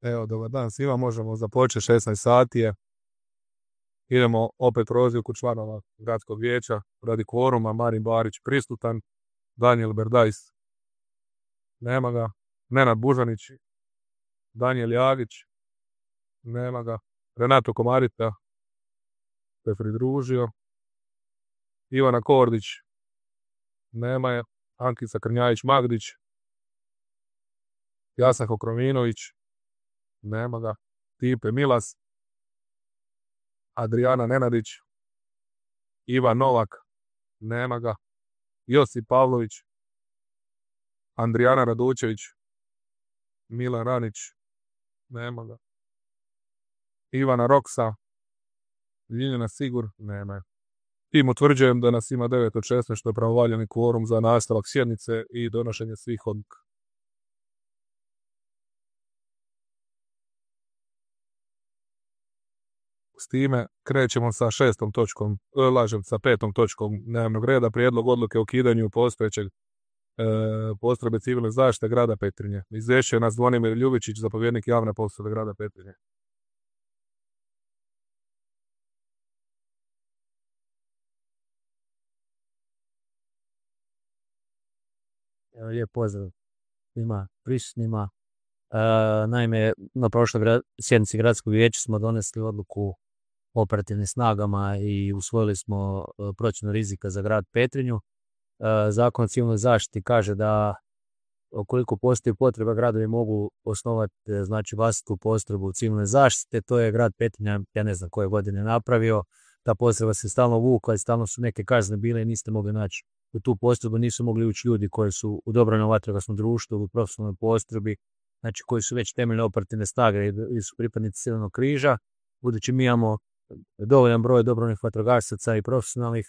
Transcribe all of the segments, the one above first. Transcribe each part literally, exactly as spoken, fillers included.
Evo, dobar dan svima, možemo započeti, šesnaest sati je. Idemo opet prozivku članova gradskog vijeća radi kvoruma. Marin Barić prisutan, Danijel Berdajs, nema ga, Nenad Bužanić, Danijel Jagić, nema ga, Renato Komarita se pridružio, Ivana Kordić, nema je, Ankica Krnjajić-Magdić, Jasan Hokrominović, nema ga, Stipe Milas, Adriana Nenadić, Ivan Novak, nema ga, Josip Pavlović, Andrijana Radučević, Milan Ranić, nema ga, Ivana Roksa, Ljiljana Sigur, nema je. Tim utvrđujem da nas ima devet od šesnaest, što je pravovaljani kvorum za nastavak sjednice i donošenje svih odluka. S time krećemo sa šestom točkom, lažem, sa petom točkom dnevnog reda, prijedlog odluke o ukidanju postojećeg e, postrojbe civilne zaštite grada Petrinje. Izvješćuje nas Zvonimir Ljubičić, zapovjednik javne postrojbe grada Petrinje. Evo, lijep pozdrav svima prisutnima. E, naime, na prošloj gra, sjednici gradskog vijeća smo donesli odluku o operativnim snagama i usvojili smo e, procjenu rizika za grad Petrinju. E, Zakon o civilnoj zaštiti kaže da ukoliko postoji potreba, gradovi mogu osnovati e, znači vlastitu postrojbu civilne zaštite. To je grad Petrinja, ja ne znam koje godine napravio. Ta postrojba se stalno vukla i stalno su neke kazne bile i niste mogli naći u tu postrojbu, nisu mogli ući ljudi koji su u dobrovoljnom vatrogasnom društvu ili u profesionalnoj postrojbi, znači koji su već temeljne operativne snage ili su pripadnici Crvenog križa. Budući mi imamo dovoljan broj dobrovoljnih vatrogasaca i profesionalnih,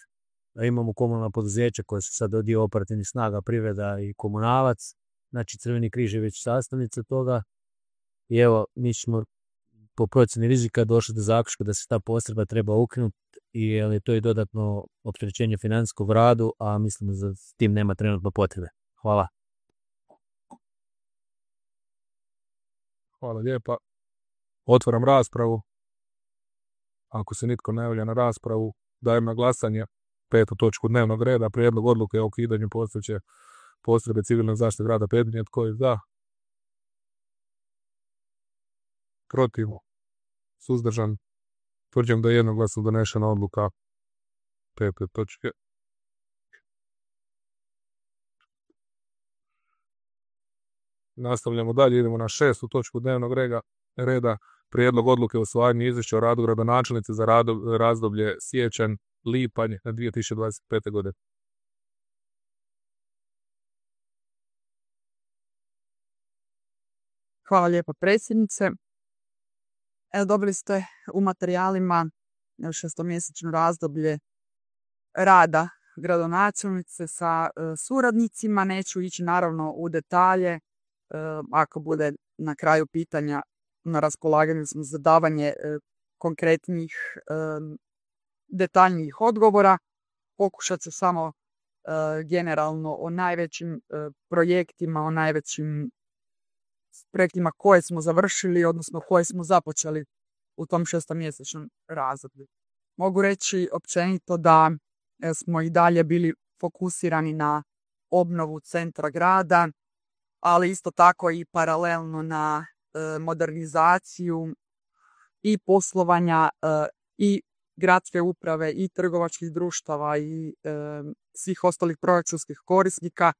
imamo komunalna poduzeća koje su sad dio operativnih snaga, privreda i komunalac, znači Crveni križ je već sastavnica toga i evo mi smo po procjeni rizika došli do zaključka da se ta postrojba treba ukinuti i je to i dodatno opterećenje financijskog radu, a mislim da s tim nema trenutno potrebe. Hvala. Hvala lijepa. Otvaram raspravu. Ako se nitko ne javlja na raspravu, dajem na glasanje petu točku dnevnog reda, prijedlog odluke o ukidanju postojeće postrojbe civilne zaštite grada Petrinje. Tko je za? Protiv? Suzdržan? Tvrđujem da je jednoglasno donešena odluka pete točke. Nastavljamo dalje, idemo na šestu točku dnevnog reda, reda prijedlog odluke o usvajanju izvješća o radu gradonačelnice za razdoblje siječanj-lipanj dvije tisuće dvadeset pete. godine. Hvala lijepo predsjednice. Evo, dobili ste u materijalima šestomjesečno razdoblje rada gradonačelnice sa e, suradnicima. Neću ići naravno u detalje. E, ako bude na kraju pitanja, na raspolaganju smo za davanje e, konkretnih e, detaljnijih odgovora. Pokušat ću samo e, generalno o najvećim e, projektima, o najvećim projektima koje smo završili, odnosno koje smo započeli u tom šestomjesečnom razdoblju. Mogu reći općenito da e, smo i dalje bili fokusirani na obnovu centra grada, ali isto tako i paralelno na e, modernizaciju i poslovanja e, i gradske uprave i trgovačkih društava i e, svih ostalih proračunskih korisnika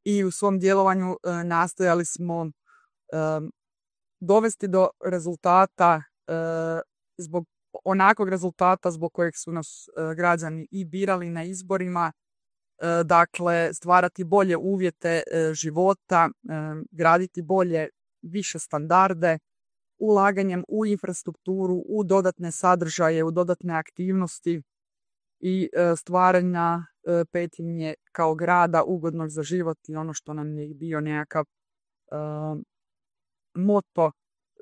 i u svom djelovanju e, nastojali smo e, dovesti do rezultata e, zbog onakvog rezultata zbog kojeg su nas e, građani i birali na izborima. E, dakle, stvarati bolje uvjete e, života, e, graditi bolje, više standarde, ulaganjem u infrastrukturu, u dodatne sadržaje, u dodatne aktivnosti i e, stvaranja e, Petrinje kao grada ugodnog za život i ono što nam je bio nekakav e, moto,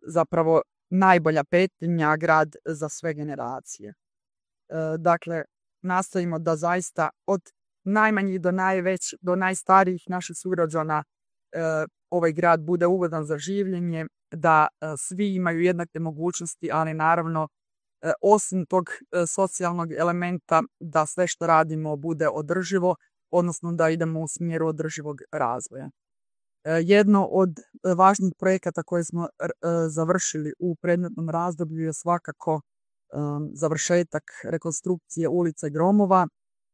zapravo najbolja Petrinja, grad za sve generacije. E, dakle, nastojimo da zaista od najmanjih do najveć, do najstarijih naših sugrađana ovaj grad bude ugodan za življenje, da svi imaju jednake mogućnosti, ali naravno osim tog socijalnog elementa da sve što radimo bude održivo, odnosno da idemo u smjeru održivog razvoja. Jedno od važnih projekata koje smo završili u predmetnom razdoblju je svakako završetak rekonstrukcije ulica i gromova,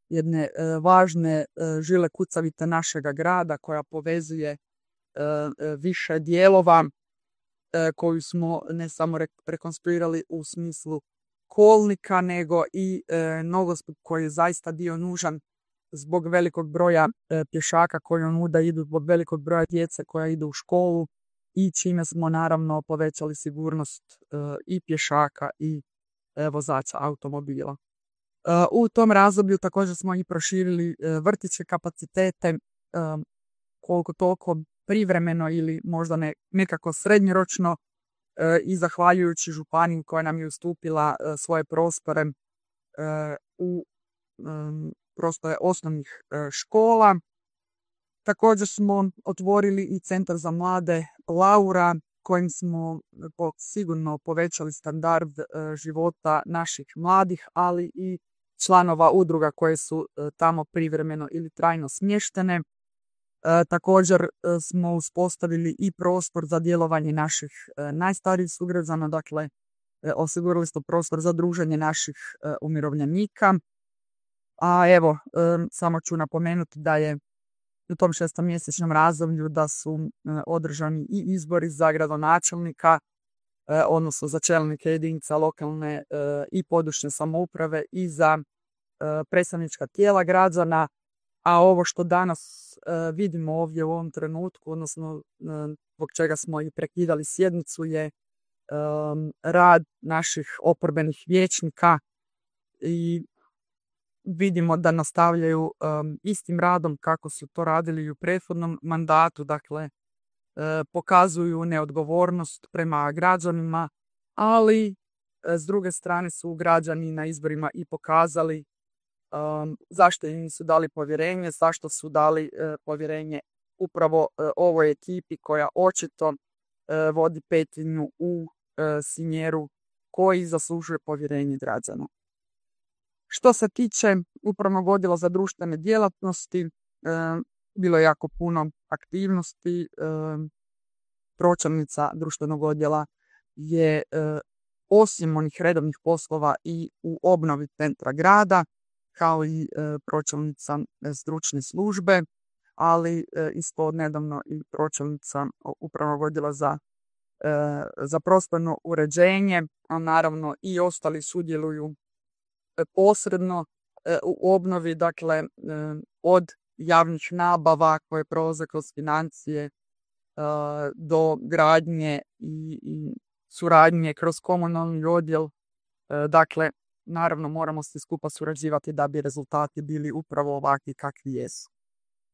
jedne važne žile kucavice našega grada koja povezuje više dijelova koju smo ne samo rekonstruirali u smislu kolnika, nego i nogostup koji je zaista bio nužan zbog velikog broja pješaka koji onuda idu, zbog velikog broja djece koja idu u školu i čime smo naravno povećali sigurnost i pješaka i vozača automobila. U tom razdoblju također smo i proširili vrtićke kapacitete koliko toliko privremeno ili možda ne, nekako srednjoročno i zahvaljujući županiji koja nam je ustupila svoje prostore u prostore osnovnih škola. Također smo otvorili i centar za mlade Laura kojim smo sigurno povećali standard života naših mladih, ali i članova udruga koje su tamo privremeno ili trajno smještene. E, također smo uspostavili i prostor za djelovanje naših e, najstarijih sugrađana, dakle e, osigurali smo prostor za druženje naših e, umirovljenika. A evo, e, samo ću napomenuti da je u tom šestomjesečnom razdoblju da su e, održani i izbori za gradonačelnika, e, odnosno za čelnike jedinica lokalne e, i područne samouprave i za e, predstavnička tijela građana. A ovo što danas e, vidimo ovdje u ovom trenutku, odnosno e, zbog čega smo i prekidali sjednicu, je e, rad naših oporbenih vijećnika i vidimo da nastavljaju e, istim radom kako su to radili i u prethodnom mandatu, dakle e, pokazuju neodgovornost prema građanima, ali e, s druge strane su građani na izborima i pokazali Um, zašto im nisu dali povjerenje, zašto su dali uh, povjerenje upravo uh, ovoj ekipi koja očito uh, vodi Petrinju u uh, smjeru koji zaslužuje povjerenje građana. Što se tiče upravnog odjela za društvene djelatnosti, uh, bilo je jako puno aktivnosti. Uh, pročelnica društvenog odjela je uh, osim onih redovnih poslova i u obnovi centra grada, kao i e, pročelnica stručne službe, ali e, isto odnedavno i pročelnica upravnog odjela za, e, za prostorno uređenje, a naravno i ostali sudjeluju e, posredno e, u obnovi, dakle e, od javnih nabava koje prolaze kroz financije e, do gradnje i, i suradnje kroz komunalni odjel, e, dakle naravno moramo svi skupa surađivati da bi rezultati bili upravo ovakvi kakvi jesu.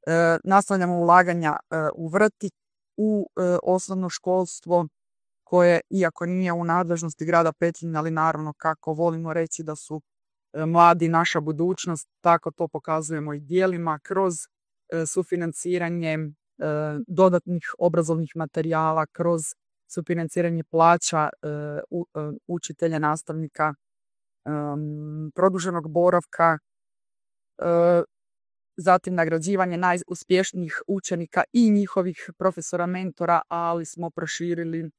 E, nastavljamo ulaganja e, u vrtić, u e, osnovno školstvo koje, iako nije u nadležnosti grada Petrinje, ali naravno kako volimo reći da su e, mladi naša budućnost, tako to pokazujemo i dijelima kroz e, sufinanciranje e, dodatnih obrazovnih materijala, kroz sufinanciranje plaća e, u, e, učitelja, nastavnika, Um, produženog boravka, uh, zatim nagrađivanje najuspješnijih učenika i njihovih profesora mentora, ali smo proširili uh,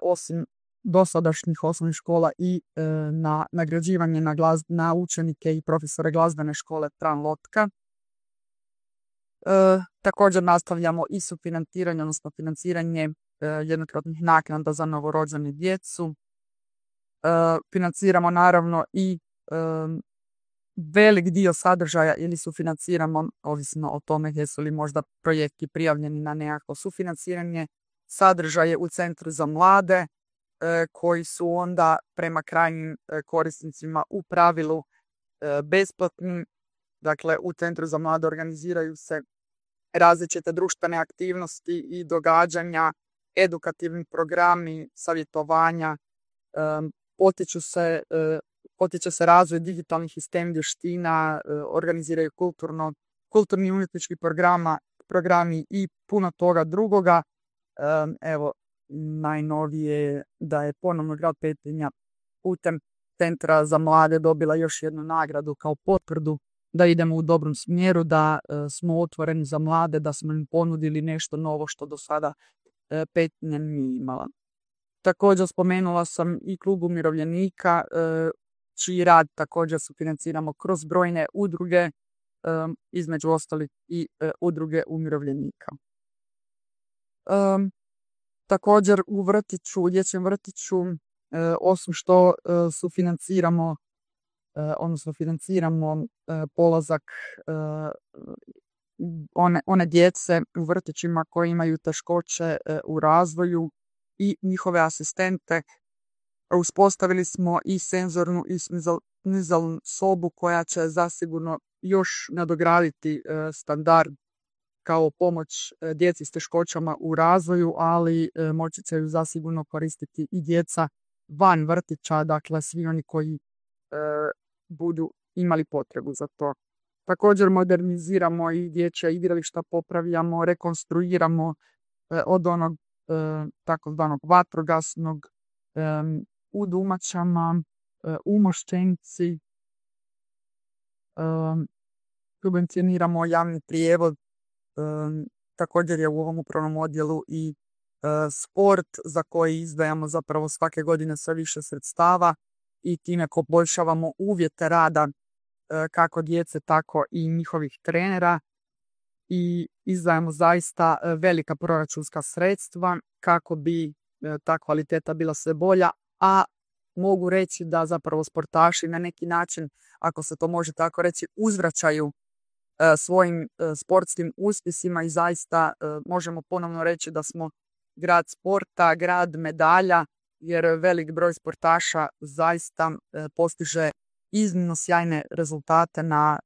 osim dosadašnjih osnovnih škola i uh, na nagrađivanje na, glaz, na učenike i profesore glazbene škole Tran Lotka. Uh, također nastavljamo i sufinanciranje, odnosno financiranje uh, jednokratnih naknada za novorođenu djecu. Uh, financiramo naravno i um, velik dio sadržaja ili sufinanciramo, ovisno o tome jesu li možda projekti prijavljeni na nekako sufinanciranje, sadržaje u Centru za mlade uh, koji su onda prema krajnjim uh, korisnicima u pravilu uh, besplatni. Dakle, u Centru za mlade organiziraju se različite društvene aktivnosti i događanja, edukativni programi, savjetovanja, um, Potiču se, potiče se razvoj digitalnih i STEM vještina, organiziraju kulturno, kulturni i umjetnički programa, programi i puno toga drugoga. Evo, najnovije je da je ponovno grad Petrinja putem Centra za mlade dobila još jednu nagradu kao potvrdu da idemo u dobrom smjeru, da smo otvoreni za mlade, da smo im ponudili nešto novo što do sada Petrinja nije imala. Također spomenula sam i klub umirovljenika, čiji rad također sufinanciramo kroz brojne udruge, između ostalih i udruge umirovljenika. Također u vrtiću, u dječjem vrtiću, osim što sufinanciramo, odnosno financiramo polazak one, one djece u vrtićima koji imaju teškoće u razvoju i njihove asistente, uspostavili smo i senzornu i nizalnu sobu koja će zasigurno još nadograditi standard kao pomoć djeci s teškoćama u razvoju, ali moći će ju zasigurno koristiti i djeca van vrtića, dakle svi oni koji budu imali potrebu za to. Također moderniziramo i dječja igrališta, popravljamo, rekonstruiramo od onog takozvanog vatrogasnog u Dumačama, u Moščenici. Subvencioniramo javni prijevoz. Također je u ovom upravnom odjelu i sport za koji izdvajamo zapravo svake godine sve više sredstava i time poboljšavamo uvjete rada kako djece, tako i njihovih trenera i izdvajamo zaista velika proračunska sredstva kako bi ta kvaliteta bila sve bolja, a mogu reći da zapravo sportaši na neki način, ako se to može tako reći, uzvraćaju svojim sportskim uspjesima i zaista možemo ponovno reći da smo grad sporta, grad medalja, jer velik broj sportaša zaista postiže iznimno sjajne rezultate na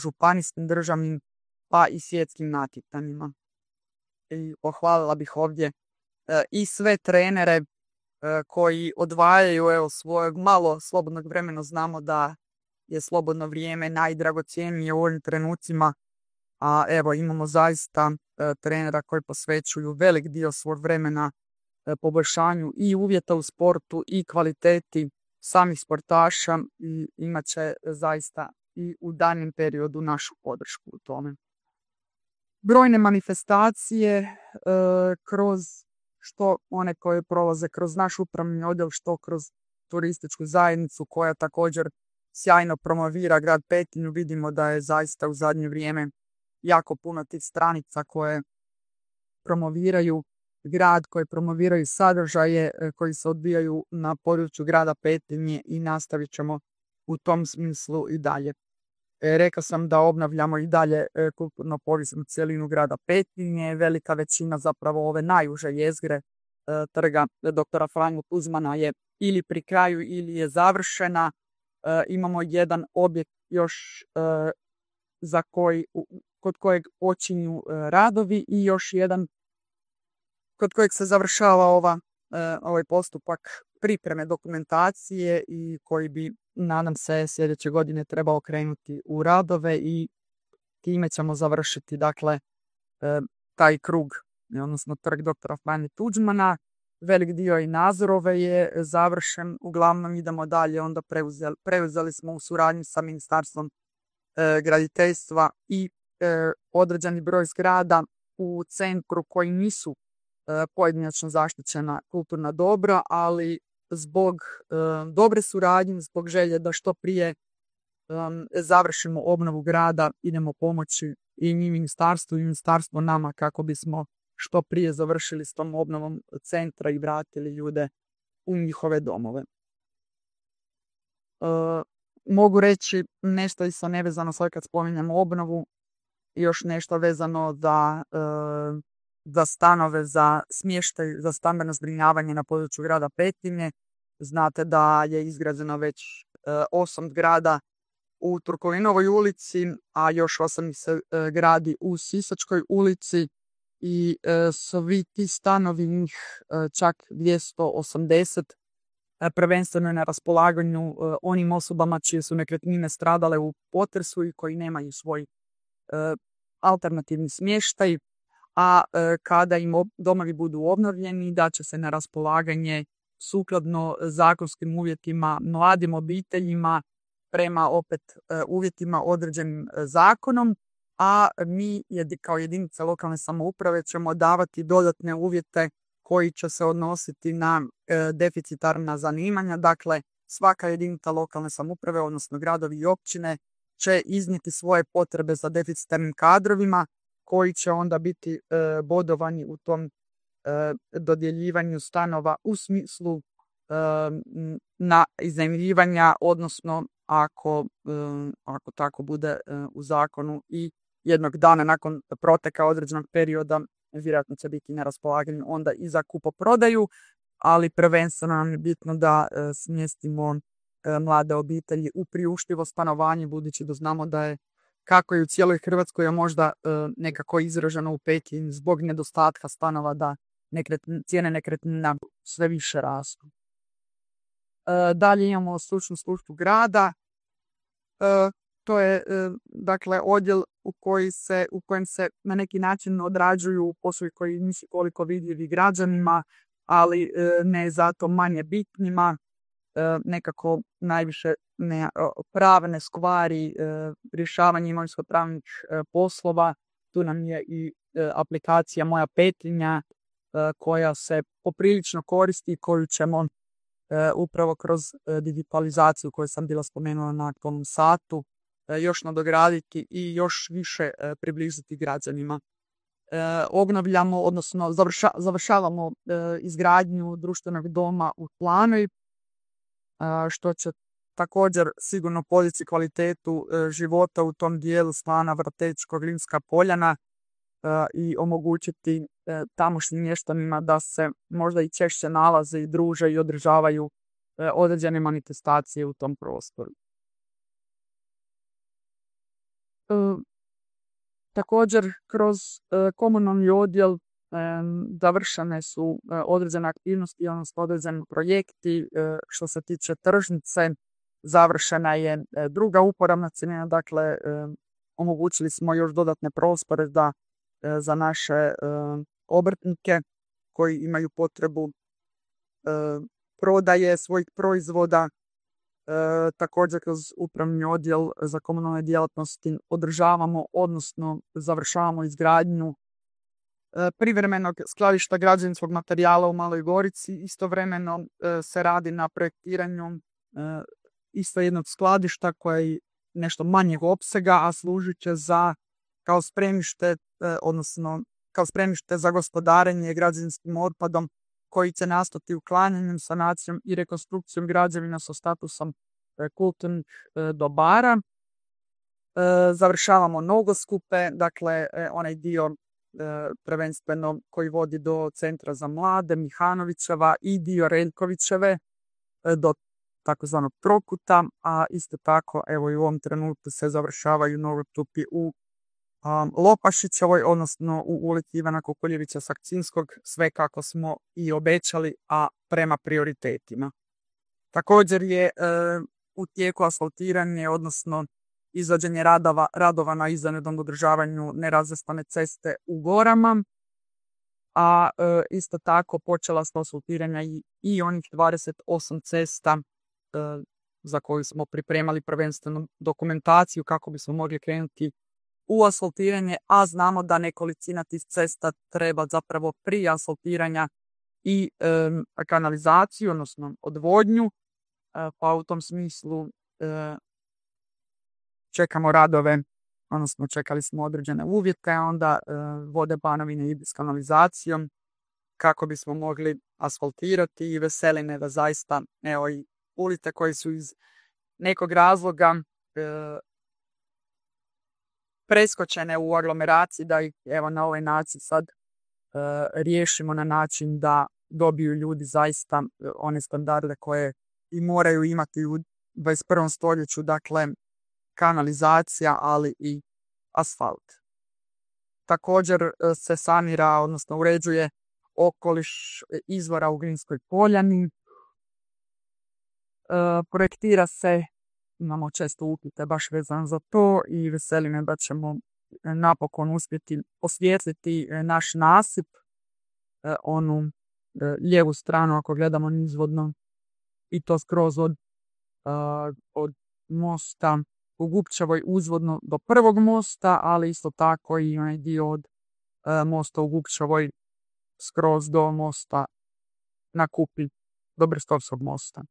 županijskim, državnim pa i svjetskim natjecanjima. I pohvalila bih ovdje i sve trenere koji odvajaju evo, svojeg malo slobodnog vremena. Znamo da je slobodno vrijeme najdragocjenije u ovim trenucima, a evo imamo zaista trenera koji posvećuju velik dio svog vremena poboljšanju i uvjeta u sportu i kvaliteti samih sportaša i imat će zaista i u daljnjem periodu našu podršku u tome. Brojne manifestacije e, kroz što one koje prolaze kroz naš upravni odjel, što kroz turističku zajednicu koja također sjajno promovira grad Petrinju. Vidimo da je zaista u zadnje vrijeme jako puno tih stranica koje promoviraju grad, koje promoviraju sadržaje koji se odvijaju na području grada Petrinje i nastavit ćemo u tom smislu i dalje. E, rekao sam da obnavljamo i dalje e, kulturno povijesnu cjelinu grada Petrinje. Velika većina zapravo ove najuže jezgre e, trga doktora Franjo Tuđmana je ili pri kraju ili je završena. E, imamo jedan objekt još e, za koji, kod kojeg počinju e, radovi i još jedan kod kojeg se završava ova, e, ovaj postupak pripreme dokumentacije i koji bi, nadam se, sljedeće godine trebao krenuti u radove i time ćemo završiti dakle e, taj krug, odnosno trg doktora Franje Tuđmana. Velik dio i Nazorove je završen, uglavnom idemo dalje, onda preuzeli, preuzeli smo u suradnji sa Ministarstvom e, graditeljstva i e, određeni broj zgrada u centru koji nisu e, pojedinačno zaštićena kulturna dobra, ali zbog e, dobre suradnje, zbog želje da što prije um, završimo obnovu grada, idemo pomoći i mi ministarstvu i ministarstvo nama kako bismo što prije završili s tom obnovom centra i vratili ljude u njihove domove. E, mogu reći nešto isto nevezano sad kad spominjamo obnovu, još nešto vezano za, e, za stanove, za smještaj, za stambeno zbrinjavanje na području grada Petrinje. Znate da je izgrađeno već e, osam zgrada u Turkovinovoj ulici, a još osam se e, gradi u Sisačkoj ulici i e, svi ti stanovi, njih e, čak dvjesto osamdeset, e, prvenstveno je na raspolaganju e, onim osobama čije su nekretnine stradale u potresu i koji nemaju svoj e, alternativni smještaj, a e, kada im ob- domovi budu obnovljeni, da će se na raspolaganje sukladno zakonskim uvjetima mladim obiteljima prema opet e, uvjetima određenim e, zakonom, a mi jedi- kao jedinice lokalne samouprave ćemo davati dodatne uvjete koji će se odnositi na e, deficitarna zanimanja. Dakle, svaka jedinica lokalne samouprave, odnosno gradovi i općine, će iznijeti svoje potrebe za deficitarnim kadrovima koji će onda biti e, bodovani u tom e, dodjeljivanju stanova u smislu e, m, na iznajmljivanja, odnosno ako, e, ako tako bude e, u zakonu i jednog dana nakon proteka određenog perioda vjerojatno će biti na raspolaganju onda i za kupoprodaju, ali prvenstveno nam je bitno da e, smjestimo e, mlade obitelji u priuštivo stanovanje, budući da znamo da je, kako i u cijeloj Hrvatskoj, a možda e, nekako izraženo u Petrinji zbog nedostatka stanova, da nekretn- cijene nekretnina sve više rastu. E, dalje imamo stručnu službu grada. E, to je e, dakle odjel u, koji se, u kojem se na neki način odrađuju poslovi koji nisu koliko vidljivi građanima, ali e, ne zato manje bitnima. E, nekako najviše ne, pravne stvari, e, rješavanje imovinsko-pravnih e, poslova. Tu nam je i e, aplikacija Moja Petrinja e, koja se poprilično koristi i koju ćemo e, upravo kroz e, digitalizaciju koju sam bila spomenula na tom satu e, još nadograditi i još više e, približiti građanima. E, obnavljamo, odnosno završa, završavamo e, izgradnju društvenog doma u Planoj, što će također sigurno podići kvalitetu e, života u tom dijelu Slana, Vrtečko, Glinska Poljana e, i omogućiti e, tamošnjim mještanima da se možda i češće nalaze i druže i održavaju e, određene manifestacije u tom prostoru. E, također kroz e, komunalni odjel završene su određene aktivnosti, odnosno određeni projekti. Što se tiče tržnice, završena je druga uporabna cjelina, dakle omogućili smo još dodatne prostore da za naše obrtnike koji imaju potrebu prodaje svojih proizvoda. Također kroz upravni odjel za komunalne djelatnosti održavamo, odnosno završavamo izgradnju privremenog skladišta građevinskog materijala u Maloj Gorici. Istovremeno e, se radi na projektiranju e, isto jednog skladišta koje je nešto manjeg opsega, a služit će za kao spremište, e, odnosno kao spremište za gospodarenje građevinskim otpadom koji će nastati uklanjanjem, sanacijom i rekonstrukcijom građevina sa statusom e, kulturnih e, dobara. E, završavamo nogoskupe, dakle e, onaj dio prvenstveno koji vodi do Centra za mlade Mihanovićeva i dio Reljkovićeve do takozvanog Prokuta, a isto tako evo i u ovom trenutku se završavaju nogostupi u um, Lopašićevoj, odnosno u ulici Ivana Kukuljevića Sakcinskog, sve kako smo i obećali, a prema prioritetima. Također je e, u tijeku asfaltiranje, odnosno izvođenje radova, radova na izvanrednom održavanju nerazvrstane ceste u Gorama, a e, isto tako počela smo asfaltiranja i, i onih dvadeset osam cesta e, za koju smo pripremali prvenstveno dokumentaciju kako bismo mogli krenuti u asfaltiranje, a znamo da nekolicina tih cesta treba zapravo prije asfaltiranja i e, kanalizaciju, odnosno odvodnju, e, pa u tom smislu e, čekamo radove, odnosno čekali smo određene uvjete, a onda e, vode Banovine idu s kanalizacijom kako bismo mogli asfaltirati i veseli me da zaista evo i ulice koje su iz nekog razloga e, preskočene u aglomeraciji, da ih evo na ovaj način sad e, riješimo na način da dobiju ljudi zaista e, one standarde koje i moraju imati u dvadeset prvom stoljeću, dakle kanalizacija, ali i asfalt. Također se sanira, odnosno uređuje okoliš izvora u Glinskoj Poljani. E, projektira se, imamo često upite baš vezano za to i veseli me da ćemo napokon uspjeti osvijetliti naš nasip, onu lijevu stranu ako gledamo nizvodno, i to skroz od, od mosta u Gupčevoj uzvodno do prvog mosta, ali isto tako i onaj dio od mosta u Gupčevoj skroz do mosta na Kupi, do Brstovskog mosta.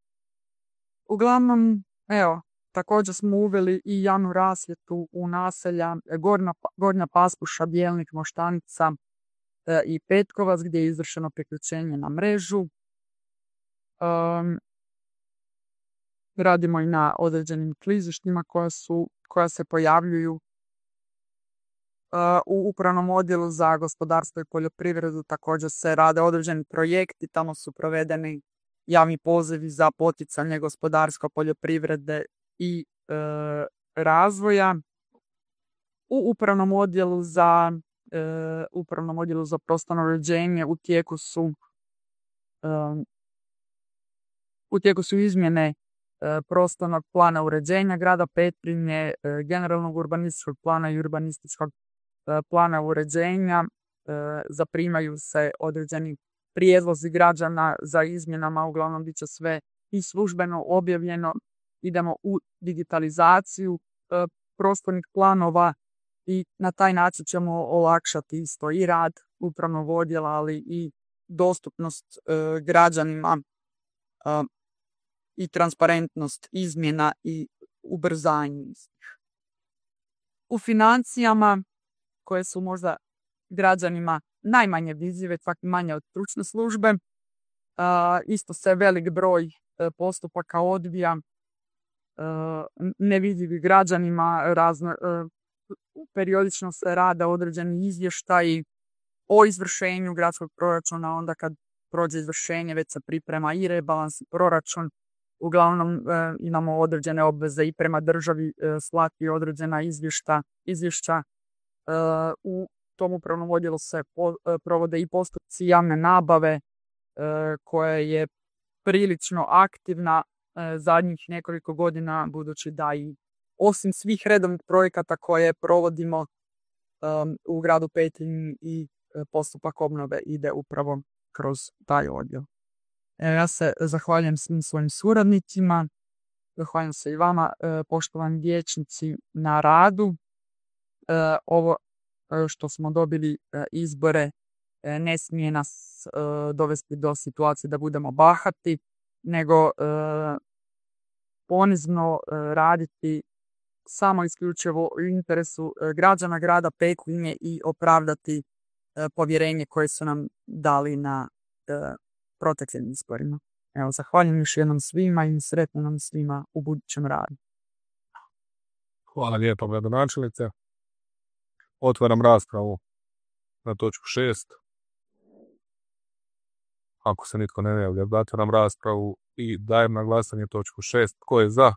Uglavnom, evo, također smo uveli i javnu rasvjetu u naselja Gornja, Gornja Paspuša, Bjelnik, Moštanica e, i Petkovac, gdje je izvršeno priključenje na mrežu. Um, radimo i na određenim klizištima koja, su, koja se pojavljuju uh, u upravnom odjelu za gospodarstvo i poljoprivredu. Također se rade određeni projekti, tamo su provedeni javni pozivi za poticanje gospodarstva, poljoprivrede i e, razvoja. U upravnom odjelu za e, upravnom odjelu za prostorno uređenje u tijeku su e, u tijeku su izmjene e, prostornog plana uređenja grada Petrinje, e, generalnog urbanističkog plana i urbanističkog e, plana uređenja. E, zaprimaju se određeni prijedlozi građana za izmjenama, uglavnom bit će sve i službeno objavljeno. Idemo u digitalizaciju e, prostornih planova i na taj način ćemo olakšati isto i rad upravnog odjela, ali i dostupnost e, građanima e, i transparentnost izmjena i ubrzanje istih. U financijama, koje su možda građanima najmanje vidljive, čak manje od stručne službe, e, isto se velik broj e, postupaka odvija nevidljivi građanima, razno, periodično se rade određeni izvještaji o izvršenju gradskog proračuna, onda kad prođe izvršenje već se priprema i rebalans i proračun. Uglavnom e, imamo određene obveze i prema državi e, slati određena izvješta, izvješća. E, u tom upravnom odjelu se po, e, provode i postupci javne nabave e, koja je prilično aktivna zadnjih nekoliko godina, budući da i osim svih redovnih projekata koje provodimo um, u gradu Petrinji i postupak obnove ide upravo kroz taj odjel. E, ja se zahvaljujem svim svojim suradnicima, zahvaljujem se i vama, e, poštovani vijećnici, na radu. E, ovo e, što smo dobili e, izbore e, ne smije nas e, dovesti do situacije da budemo bahati, nego e, ponizno e, raditi samo isključivo u interesu e, građana grada Petrinje i opravdati e, povjerenje koje su nam dali na e, proteklim izborima. Evo, zahvaljujem još jednom svima i sretno nam svima u budućem radu. Hvala lijepo, gradonačelnice. Otvaram raspravu na točku šest. Ako se nitko ne javlja, zatvaram raspravu i dajem na glasanje točku šest. Tko je za?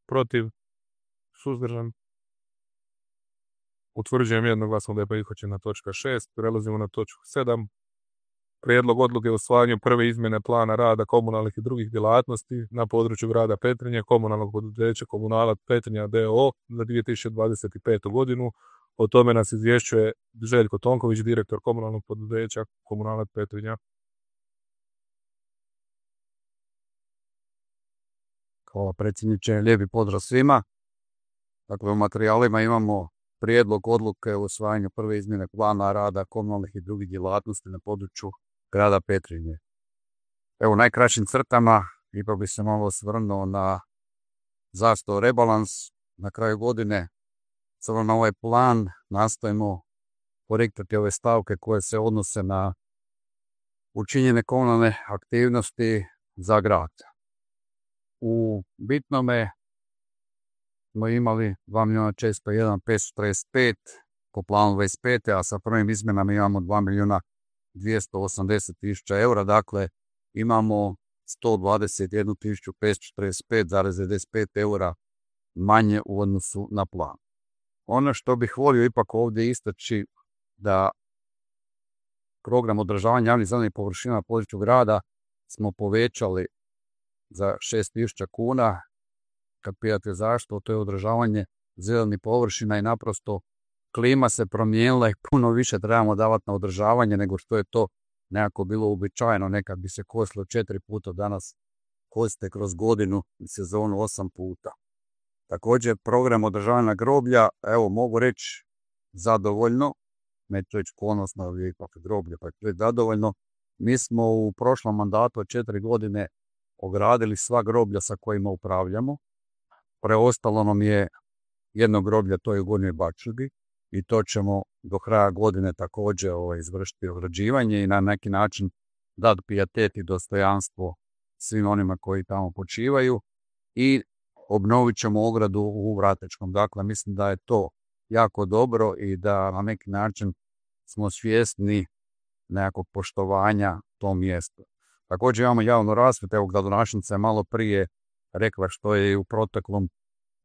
Protiv? Suzdržan? Utvrđujem jednoglasno da je prihvaćena točka šest. Prelazimo na točku sedam. Prijedlog odluke o usvajanju prve izmjene plana rada komunalnih i drugih djelatnosti na području grada Petrinje, komunalnog poduzeća Komunalac Petrinja d o o za dvije tisuće dvadeset petu godinu. O tome nas izvješćuje Željko Tonković, direktor komunalnog poduzeća Komunalac Petrinja. Hvala predsjedniče, lijepi pozdrav svima. Dakle, u materijalima imamo prijedlog odluke o usvajanju prve izmjene plana rada komunalnih i drugih djelatnosti na području grada Petrinje. Evo, u najkraćim crtama ipak bi se malo osvrnuo na zastoj rebalans. Na kraju godine, samo na ovaj plan, nastojimo korektati ove stavke koje se odnose na učinjene komunalne aktivnosti za grad. U bitnome smo imali dva milijuna četiristo jedan tisuća petsto trideset pet po planu dvadeset pet. a sa prvim izmjenama imamo dva milijuna dvjesto osamdeset tisuća eura, dakle imamo sto dvadeset jednu tisuću petsto četrdeset pet zarez devedeset pet eura manje u odnosu na plan. Ono što bih volio ipak ovdje istaći, da program održavanja javnih zelenih površina na području grada smo povećali za šest tisuća kuna. Kad pitate zašto, to je održavanje zelenih površina i naprosto klima se promijenila i puno više trebamo davati na održavanje nego što je to nekako bilo uobičajeno. Nekad bi se kosilo četiri puta, danas kosite kroz godinu i sezonu osam puta. Također program održavanja groblja, evo mogu reći zadovoljno, neću reći ponosno, ali ipak groblje, pa je zadovoljno. Mi smo u prošlom mandatu od četiri godine ogradili sva groblja sa kojima upravljamo. Preostalo nam je jedno groblje, to je u Gornjoj Bačugi, i to ćemo do kraja godine također ovaj, izvršiti ograđivanje i na neki način dati pijetet i dostojanstvo svim onima koji tamo počivaju i obnovit ćemo ogradu u Vratečkom. Dakle, mislim da je to jako dobro i da na neki način smo svjesni nekakvog poštovanja tom mjestu. Također imamo javnu rasvjetu, evo gradonačelnica je malo prije rekla što je u proteklom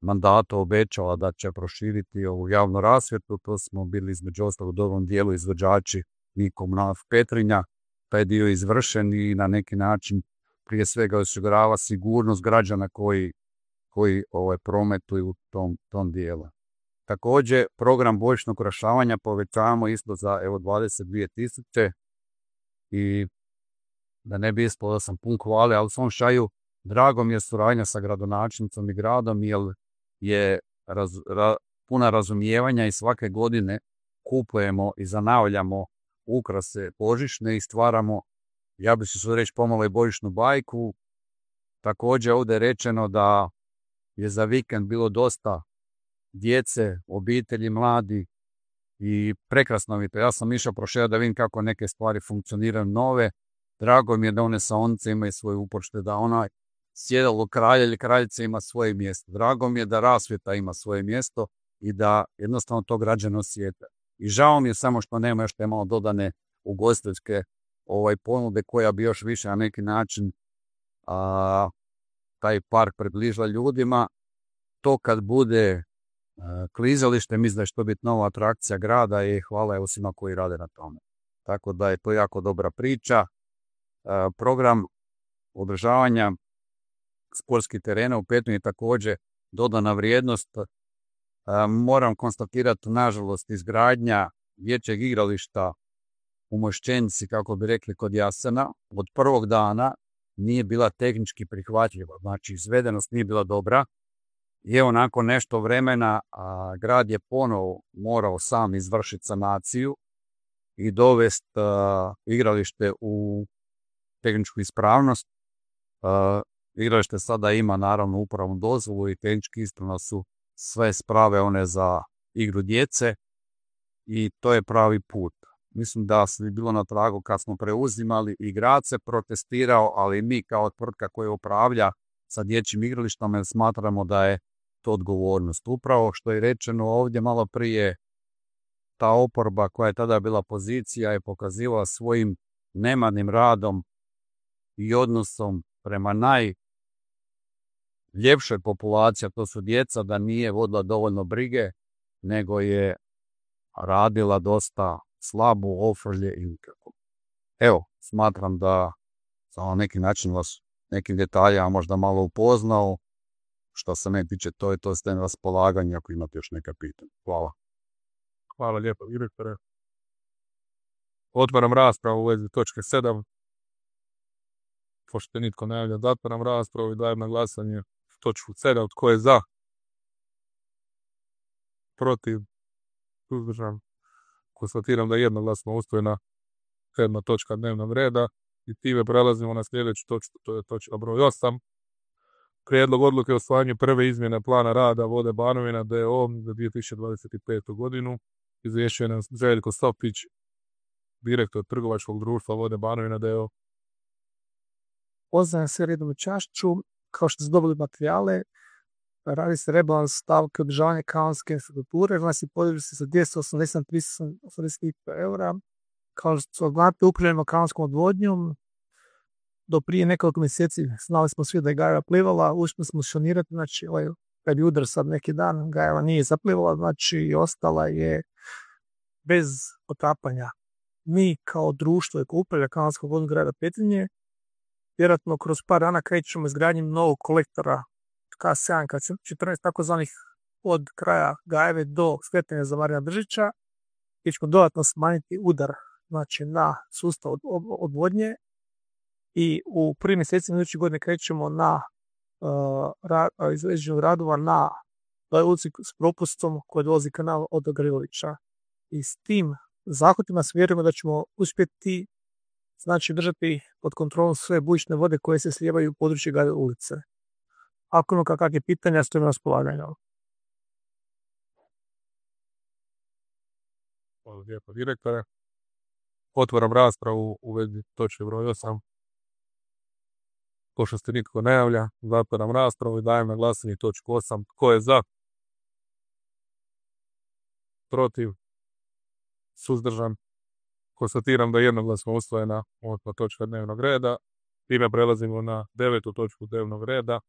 mandatu obećala da će proširiti ovu javnu rasvjetu. To smo bili između ostalog u dobrom dijelu izvođači mi Komunalac Petrinja. Taj dio je izvršen i na neki način prije svega osigurava sigurnost građana koji, koji ovaj, prometuju u tom, tom dijelu. Također program božićnog ukrašavanja povećavamo isto za evo dvadeset dvije tisuće i da ne bi ispalo da sam pun hvale, ali u svom šaju drago mi je suradnja sa gradonačelnicom i gradom jer je raz, ra, puna razumijevanja i svake godine kupujemo i zanavljamo ukrase božićne i stvaramo, ja bih se reći pomalo i božićnu bajku. Također ovdje je rečeno da je za vikend bilo dosta djece, obitelji, mladi i prekrasno mi to. Ja sam išao prošao da vidim kako neke stvari funkcioniraju nove. Drago mi je da one saonice imaju svoje upočte, da onaj sjedalo kralja ili kraljice ima svoje mjesto. Drago mi je da rasvjeta ima svoje mjesto i da jednostavno to građani osjete. I žao mi je samo što nema još te malo dodane ugostiteljske ovaj, ponude koja bi još više na neki način a, taj park približila ljudima. To kad bude a, klizalište, mislim da će to biti nova atrakcija grada i hvala evo svima koji rade na tome. Tako da je to jako dobra priča. A, program održavanja sportskih terena u Petrinji je također dodana vrijednost. A, moram konstatirati, nažalost, izgradnja dječjeg igrališta u Mošćenici, kako bi rekli kod Jasena, od prvog dana nije bila tehnički prihvatljiva. Znači, izvedenost nije bila dobra. I evo, nakon nešto vremena, a, grad je ponovo morao sam izvršiti sanaciju i dovesti igralište u tehničku ispravnost. A, igralište sada ima, naravno, upravnu dozvolu i tehnički ispravno su sve sprave one za igru djece i to je pravi put. Mislim da se bilo na tragu kad smo preuzimali i grad se protestirao, ali mi kao tvrtka koja upravlja sa dječjim igralištom smatramo da je to odgovornost. Upravo što je rečeno ovdje malo prije, ta oporba koja je tada bila pozicija je pokazivala svojim nemarnim radom i odnosom prema najljepšoj populaciji, a to su djeca, da nije vodila dovoljno brige, nego je radila dosta slabo, ofrlje i nikako. Evo, smatram da sam na neki način vas nekim detaljama možda malo upoznao. Što se ne tiče, to je to ste na raspolaganju ako imate još neka pitanja. Hvala. Hvala lijepo, direktore. Otvaram raspravu u vezi točke sedam. Pošto nitko ne javlja, zatvaram raspravu i dajem na glasanje točku sedam. Tko je za? Protiv? Suzdržan? Konstatiram da je jednoglasno usvojena sedma točka dnevnog reda i time prelazimo na sljedeću točku, to je točka broj osam. Prijedlog odluke o usvajanju prve izmjene plana rada Vode Banovina d o o za dvije tisuće dvadeset petu. godinu. Izvješćuje nas Željko Sopić, direktor trgovačkog društva Vode Banovina d o o. Pozdravljam sve redom u čašću. Kao što ste dobili materijale, radi se rebalans stavke održavanja kanalske infrastrukture, znači se podiže se za dvjesto osamdeset tisuća osamdeset eura. Kao što znate, upravljamo kanalskom odvodnjom. Do prije nekoliko mjeseci znali smo svi da je Gajeva plivala, uspjeli smo šonirati, znači ovaj, kad je udar sad neki dan, Gajeva nije zaplivala, znači ostala je bez otapanja. Mi kao društvo koje upravlja kanalskom vodom grada Petrinje, vjerojatno kroz par dana krećemo izgradnjom novog kolektora K sedam K četrnaest takozvanih od kraja Gajeve do skretanja za Marina Držića, gdje ćemo dodatno smanjiti udar znači, na sustav od, od, odvodnje i u prvim mjesecima iduće godine krećemo na uh, ra, izveđenju radova na ulici s propustom koji dolazi kanal od Gavrilovića. I s tim zahvatima vjerujemo da ćemo uspjeti znači držati pod kontrolom sve bujične vode koje se slijevaju u području Gajeve ulice. Ako imamo kakve pitanja, stojimo na raspolaganju. Hvala lijepo, direktore. Otvaram raspravu u vezi točke broj osam. Ko što se nitko ne javlja, zatvaram raspravu i dajem na glasanje točku osam. Tko je za? Protiv? Suzdržan? Konstatiram da je jednoglasno usvojena osma točka dnevnog reda. Time prelazimo na devetu točku dnevnog reda.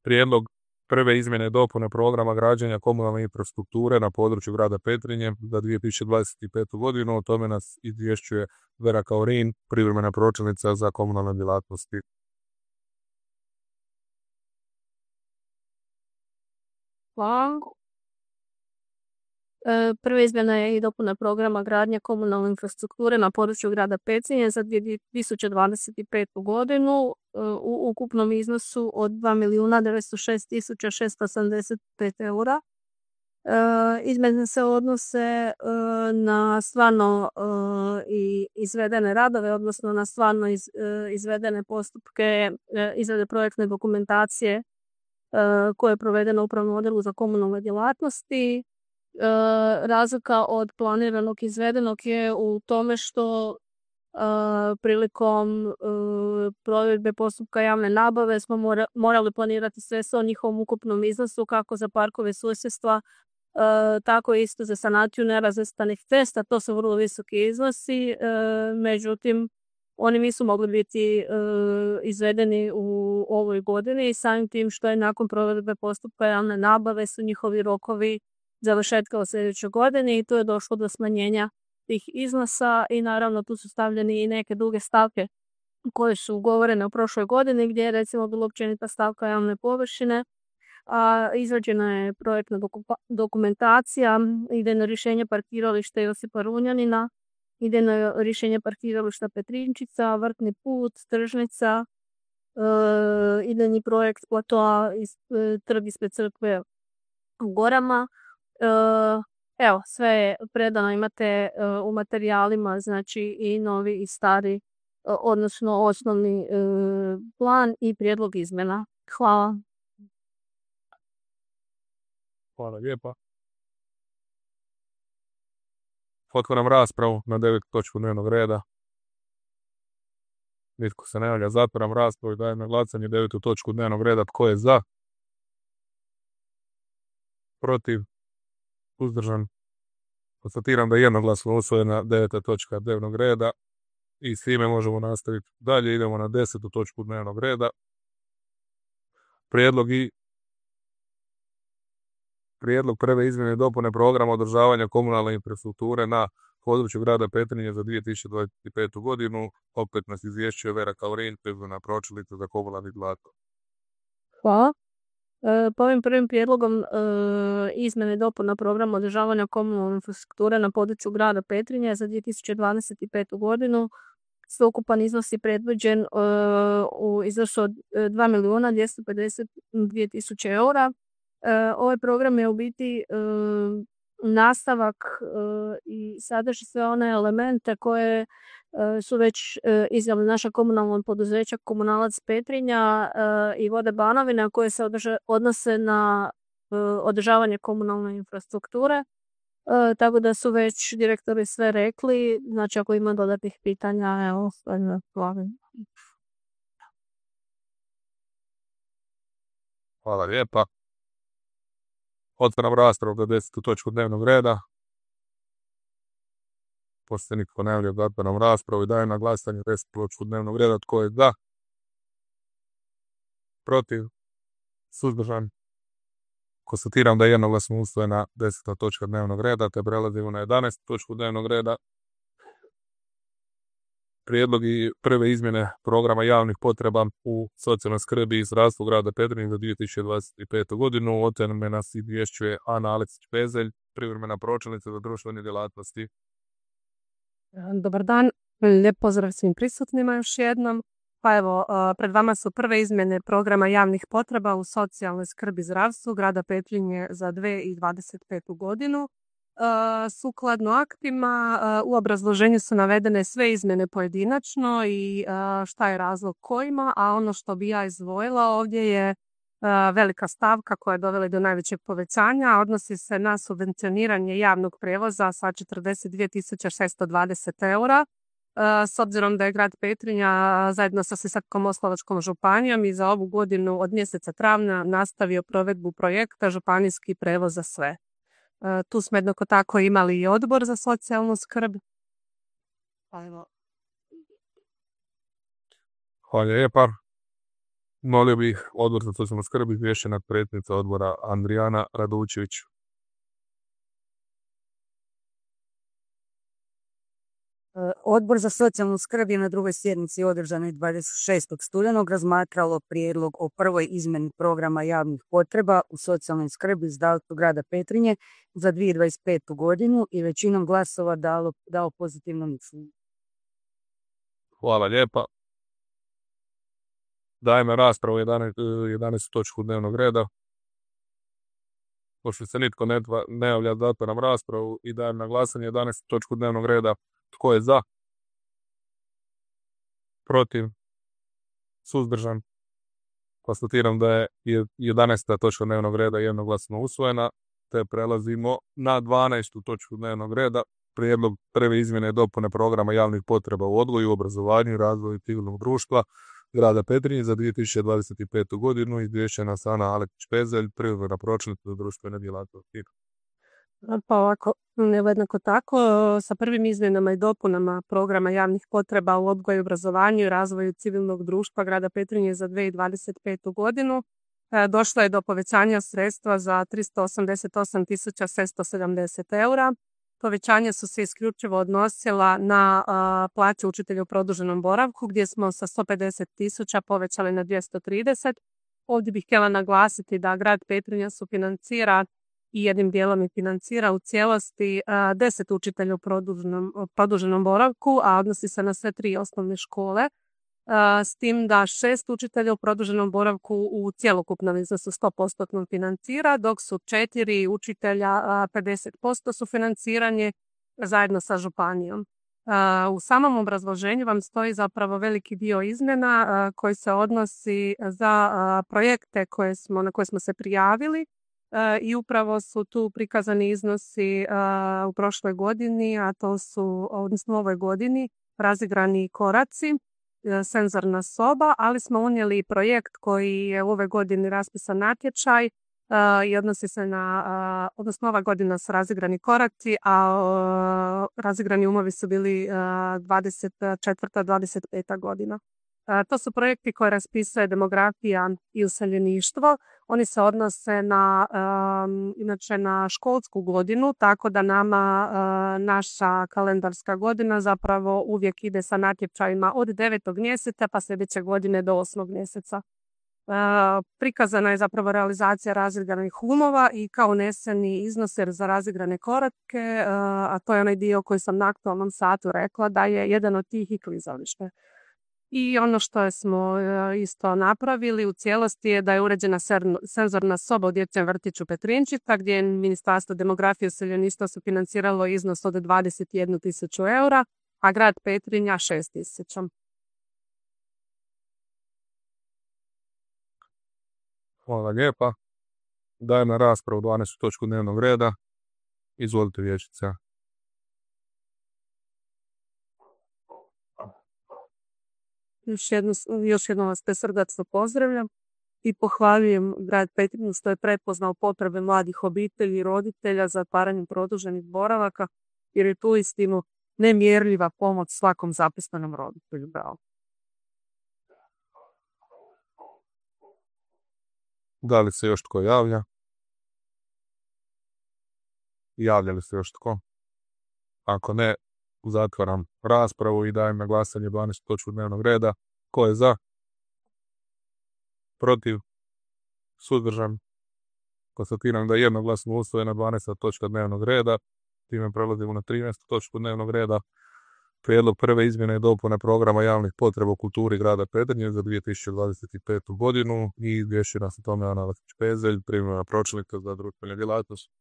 Prijedlog prve izmjene i dopune programa građenja komunalne infrastrukture na području grada Petrinje za dvije tisuće dvadeset petu godinu. O tome nas izvješćuje Vera Kaurin, privremena pročelnica za komunalne djelatnosti. Hvala. E, prva izmjena je i dopuna programa gradnje komunalne infrastrukture na području grada Petrinje za dvije tisuće dvadeset petu godinu e, u ukupnom iznosu od dva milijuna devetsto šest tisuća šesto osamdeset pet eura. E, izmjene se odnose e, na stvarno e, i izvedene radove, odnosno na stvarno iz, e, izvedene postupke e, izrade projektne dokumentacije e, koje je provedeno u upravnom odjelu za komunalne djelatnosti. E, razlika od planiranog izvedenog je u tome što e, prilikom e, provedbe postupka javne nabave smo mora, morali planirati sve o njihovom ukupnom iznosu kako za parkove susjedstva, e, tako isto za sanaciju nerazvrstanih cesta. To su vrlo visoki iznosi, e, međutim oni nisu mogli biti e, izvedeni u ovoj godini i samim tim što je nakon provedbe postupka javne nabave su njihovi rokovi završetka u sljedećoj godini i tu je došlo do smanjenja tih iznosa i naravno tu su stavljeni i neke druge stavke koje su ugovorene u prošloj godini gdje je recimo bila općenita stavka javne površine, a izrađena je projektna dokumentacija, idejno rješenje parkirališta Josipa Runjanina, idejno rješenje parkirališta Petrinčica, Vrtni put, Tržnica, e, idejni projekt platoa iz, e, trg ispred crkve u Gorama. Evo, sve je predano, imate u materijalima, znači i novi i stari, odnosno osnovni plan i prijedlog izmjena. Hvala. Hvala lijepa. Otvaram raspravu na devetu točku dnevnog reda. Nitko se ne javlja, zatvaram raspravu i dajem na glasanje devetu točku dnevnog reda. Tko je za? Protiv? Suzdržan? Konstatiram da je jednoglasno usvojena deveta točka dnevnog reda i s time možemo nastaviti dalje. Idemo na desetu točku dnevnog reda. Prijedlog i Prijedlog prve izmjene i dopune programa održavanja komunalne infrastrukture na području grada Petrinje za dvije tisuće dvadeset petu godinu. Opet nas izvješćuje Vera Kaurin, privremena pročelnica za komunalni djelatnost. Hvala. E, po ovim prvim prijedlogom e, izmjene i dopuna programa održavanja komunalne infrastrukture na području grada Petrinje za dvije tisuće dvadeset petu godinu sveukupan iznos je predviđen e, u iznosu od dva milijuna dvjesto pedeset dvije tisuće eura. E, ovaj program je u biti e, nastavak e, i sadrži sve one elemente koje e, su već e, izdali naša komunalna poduzeća Komunalac Petrinja e, i Vode Banovina koje se održa, odnose na e, održavanje komunalne infrastrukture. E, tako da su već direktori sve rekli, znači ako ima dodatnih pitanja, evo, hvala. Hvala lijepa. Otvaram raspravu za desetu točku dnevnog reda. Pošto se nitko ne javlja, zatvaram raspravu i dajem na glasanje desetu točku dnevnog reda. Tko je za? Protiv? Suzdržan? Konstatiram da je jednoglasno usvojena deseta točka dnevnog reda, te prelazimo na jedanaestu točku dnevnog reda. prijedlog i prve izmjene programa javnih potreba u socijalnoj skrbi i zdravstvu grada Petrinje za dvije tisuće dvadeset petu godinu. O tome nas izvješćuje Ana Aleksić-Pezelj, privremena pročelnica za društvene djelatnosti. Dobar dan, lijep pozdrav svim prisutnima još jednom. Pa evo, pred vama su prve izmjene programa javnih potreba u socijalnoj skrbi i zdravstvu grada Petrinje za dvije tisuće dvadeset petu godinu. Sukladno aktima u obrazloženju su navedene sve izmjene pojedinačno i šta je razlog kojima, a ono što bi ja izdvojila ovdje je velika stavka koja je dovela do najvećeg povećanja, a odnosi se na subvencioniranje javnog prijevoza sa četrdeset dvije tisuće šesto dvadeset eura. S obzirom da je grad Petrinja zajedno sa Sisačko-moslavačkom županijom i za ovu godinu od mjeseca travnja nastavio provedbu projekta Županijski prijevoz za sve. Tu smo jednako tako imali i odbor za socijalnu skrb. Pa evo. Hvala lijepa. Molio bih odbor za socijalnu skrb izvješćena predsjednica odbora Andrijana Radučević. Odbor za socijalnu skrb je na drugoj sjednici održanoj dvadeset šestog studenog razmatralo prijedlog o prvoj izmjeni programa javnih potreba u socijalnoj skrbi zdravstvu grada Petrinje za dvije tisuće dvadeset petu godinu i većinom glasova dalo, dao pozitivno mišljenje. Hvala lijepa. Dajemo raspravu jedanaestu točku dnevnog reda. Pošto se nitko ne, ne javlja, zatvaram raspravu i dajem na glasanje jedanaestu točku dnevnog reda. Tko je za? Protiv? Suzdržan? Konstatiram da je jedanaesta točka dnevnog reda jednoglasno usvojena, te prelazimo na dvanaestu točku dnevnog reda. Prijedlog prve izmjene i dopune programa javnih potreba u odgoju, obrazovanju i razvoju civilnog društva grada Petrinje za dvije tisuće dvadeset petu godinu. Izvješćena Ana Aleksić-Pezelj, privremena pročelnica za društvene djelatnosti. Pa ovako, jednako tako, sa prvim izmjenama i dopunama programa javnih potreba u odgoju, obrazovanju i razvoju civilnog društva grada Petrinje za dvije tisuće dvadeset petu godinu došlo je do povećanja sredstva za tristo osamdeset osam tisuća šesto sedamdeset eura. Povećanja su se isključivo odnosila na a, plaće učitelja u produženom boravku, gdje smo sa sto pedeset tisuća povećali na dvjesto trideset. Ovdje bih htjela naglasiti da grad Petrinja sufinancira i jednim dijelom i financira u cijelosti a, deset učitelja u produženom, produženom boravku, a odnosi se na sve tri osnovne škole. A, s tim da šest učitelja u produženom boravku u cjelokupnom iznosu sto posto financira, dok su četiri učitelja a, pedeset posto sufinanciranje zajedno sa županijom. A, u samom obrazloženju vam stoji zapravo veliki dio izmjena a, koji se odnosi za a, projekte koje smo, na koje smo se prijavili. I upravo su tu prikazani iznosi u prošloj godini, a to su, odnosno u ovoj godini, razigrani koraci, senzorna soba, ali smo unijeli projekt koji je u ovoj godini raspisan natječaj i odnosi se na, odnosno ova godina su razigrani koraci, a razigrani umovi su bili dvadeset četvrta dvadeset peta godina. To su projekti koje raspisuje demografija i useljeništvo. Oni se odnose na, um, inače na školsku godinu, tako da nama uh, naša kalendarska godina zapravo uvijek ide sa natječajima od devetog mjeseca pa sljedeće godine do osmog mjeseca. Uh, prikazana je zapravo realizacija razigranih umova i kao uneseni iznos za razigrane korake, uh, a to je onaj dio koji sam na aktualnom satu rekla da je jedan od tih i klizalište. I ono što smo isto napravili u cijelosti je da je uređena senzorna soba u dječjem vrtiću Petrinčica, gdje je Ministarstvo demografije i useljeništva sufinanciralo iznos od dvadeset jednu tisuću eura, a grad Petrinja šest tisuća. Hvala lijepa. Dajem na raspravu dvanaestu točku dnevnog reda. Izvolite, vijećnica. Još, jedno, još jednom vas te srdačno pozdravljam i pohvaljujem grad Petrinju što je prepoznao potrebe mladih obitelji i roditelja za otvaranjem produženih boravaka, jer je tu istinu nemjerljiva pomoć svakom zapisanom roditelju. Bravo. Da li se još tko javlja? Javlja li se još tko? Ako ne, Zatvaram raspravu i dajem na glasanje dvanaestu točku dnevnog reda. Ko je za? Protiv? Suzdržan? Konstatiram da je jednoglasno usvojena dvanaesta točka dnevnog reda. Time prelazimo na trinaestu točku dnevnog reda. Prijedlog prve izmjene i dopune programa javnih potreba u kulturi grada Petrinje za dvije tisuće dvadeset petu. godinu i izvješće nas o tome Ana Lekić-Pezelj, privremena pročelnica za društvene djelatnosti.